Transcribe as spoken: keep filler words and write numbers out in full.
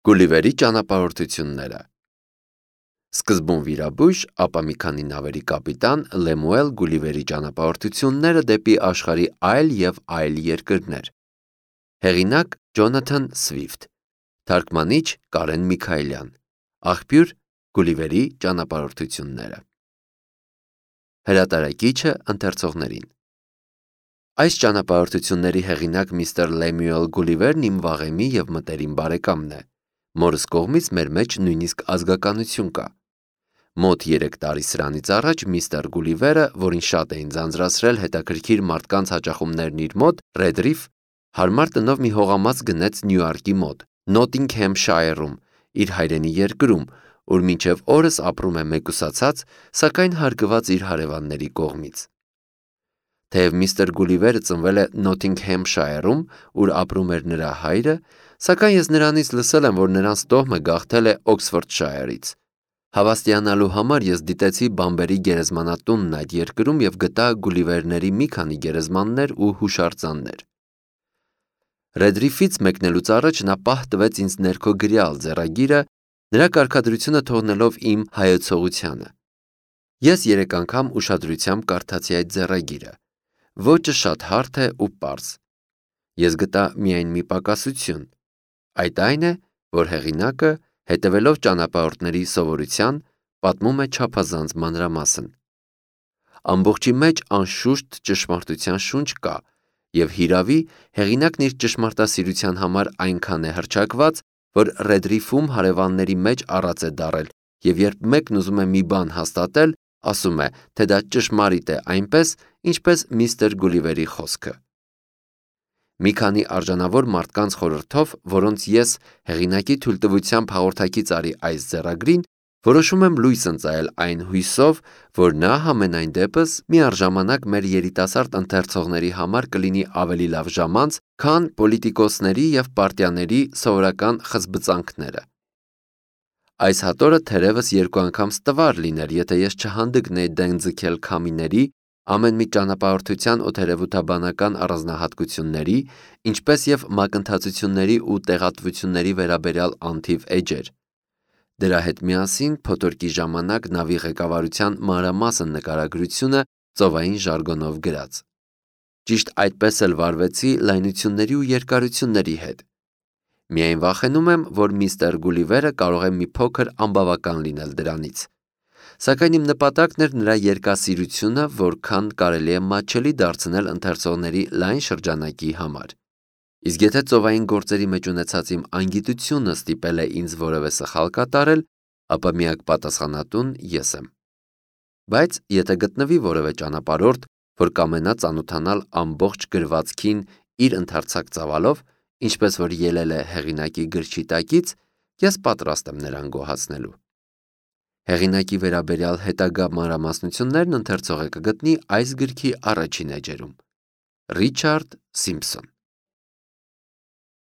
Գուլիվերի ճանապարհորդությունները։ Սկզբում վիրաբույժ, ապա մի քանի նավերի կապիտան Լեմուել Գուլիվերի ճանապարհորդությունները դեպի աշխարհի այլ և այլ երկրներ։ Հեղինակ Ջոնաթան Սվիֆթ, թարգմանիչ Կարեն Միքայելյան, աղբյուր Գուլիվերի ճանապարհորդությունները։ Հրատարակիչը ընթերցողներին։ Այս ճանապարհորդությունների հեղինակ միստր Լեմուել Գուլիվերն իմ վաղեմի և մտերիմ բարեկամն է։ Մորս կողմից մեր մեջ նույնիսկ ազգականություն կա։ Մոտ երեք տարի սրանից առաջ միստր Գուլիվերը, որին շատ էին ձանձրացրել հետաքրքիր մարդկանց հաճախումներն իր մոտ, Ռեդրիֆ, հարմար տնով մի հողամաս գնեց Նյույորքի մոտ, Նոթինգհեմշայրում, իր հայրենի երկրում, ուր մինչև օրս ապրում է մեկուսացած, սակայն հարգված իր հարևանների կողմից։ Թեև միստր Գուլիվերը ծնվել է Նոթինգհեմշայրում, ուր ապրում էր նրա հայրը, սակայն ես նրանից լսել եմ, որ նրանց տոհմը գաղթել է Օքսֆորդշայրից։ Հավաստիանալու համար ես դիտեցի բամբերի գերեզմանատունն այդ երկրում և գտա Գուլիվերների մի քանի գերեզմաններ ու հուշարձաններ։ Ռեդրիֆից մեկնելուց առաջ նա պահ տվեց ինձ ներքո գրյալ ձեռագիրը, նրա կարգադրությունը թողնելով իմ հայեցողությանը։ Ես երեք անգամ ուշադրությամբ կարդացի այդ ձեռագիրը։ Ոճը շատ հարթ է ու պարզ։ Ես գտա միայն մի պակասություն։ Այդ այն է, որ հեղինակը, հետևելով ճանապարհորդների սովորության, պատմում է չափազանց մանրամասն։ Ամբողջի մեջ անշուշտ ճշմարտության շունչ կա, և հիրավի հեղինակն իր ճշմարտասիրության համար այնքան է հռչակված, որ Ռեդրիֆում հարևանների մեջ առած է դառել, և երբ մեկն ուզում է մի բան հաստատել, ասում է, թե դա ճշմարիտ է այնպես, ինչպես միստր Գուլիվերի խոսքը։ Մի քանի արժանավոր մարդկանց խորհրդով, որոնց ես հեղինակի թույլտվությամբ հաղորդակից արի այս ձեռագրին, որոշում եմ լույս ընծայել այն հույսով, որ նա համենայն դեպս միառժամանակ մեր երիտասարդ ընթերցողների համար կլինի ավելի լավ ժամանց, քան պոլիտիկոսների և պարտիաների սովորական խզբծանքները։ Այս հատորը թերևս երկու անգամ ստվար լիներ, եթե ես չհանդգնեի դեն ձգել քամիների, ամեն մի ճանապարհորդության օդերևութաբանական առանձնահատկությունների, ինչպես և մակընթացությունների ու տեղատվությունների վերաբերյալ անթիվ էջեր։ Դրա հետ միասին փոթորկի ժամանակ նավի ղեկավարության մանրամասն նկարագրությունը ծովային ժարգոնով գրած։ Ճիշտ այդպես էլ վարվեցի լայնությունների ու երկարությունների հետ։ Միայն վախենում եմ, որ միստր Գուլիվերը կարող է մի փոքր անբավական լինել դրանից։ Սակայն իմ նպատակն էր նրա երկասիրությունը որքան կարելի է մատչելի դարձնել ընթերցողների լայն շրջանակի համար։ Իսկ եթե ծովային գործերի մեջ ունեցած իմ անգիտությունը ստիպել է ինձ որևէ սխալ կատարել, ապա միակ պատասխանատուն ես եմ։ Բայց եթե գտնվի որևէ ճանապարհորդ, որ կամենա ծանոթանալ ամբողջ գրվածքին իր ընդարձակ ծավալով, ինչպես որ ելել է հեղինակի գրչի տակից, ես պատրաստ եմ նրան գոհացնելու։ Հեղինակի վերաբերյալ հետագա մանրամասնություններն ընթերցողը կգտնի այս գրքի առաջին էջերում։ Ռիչարդ Սիմփսոն։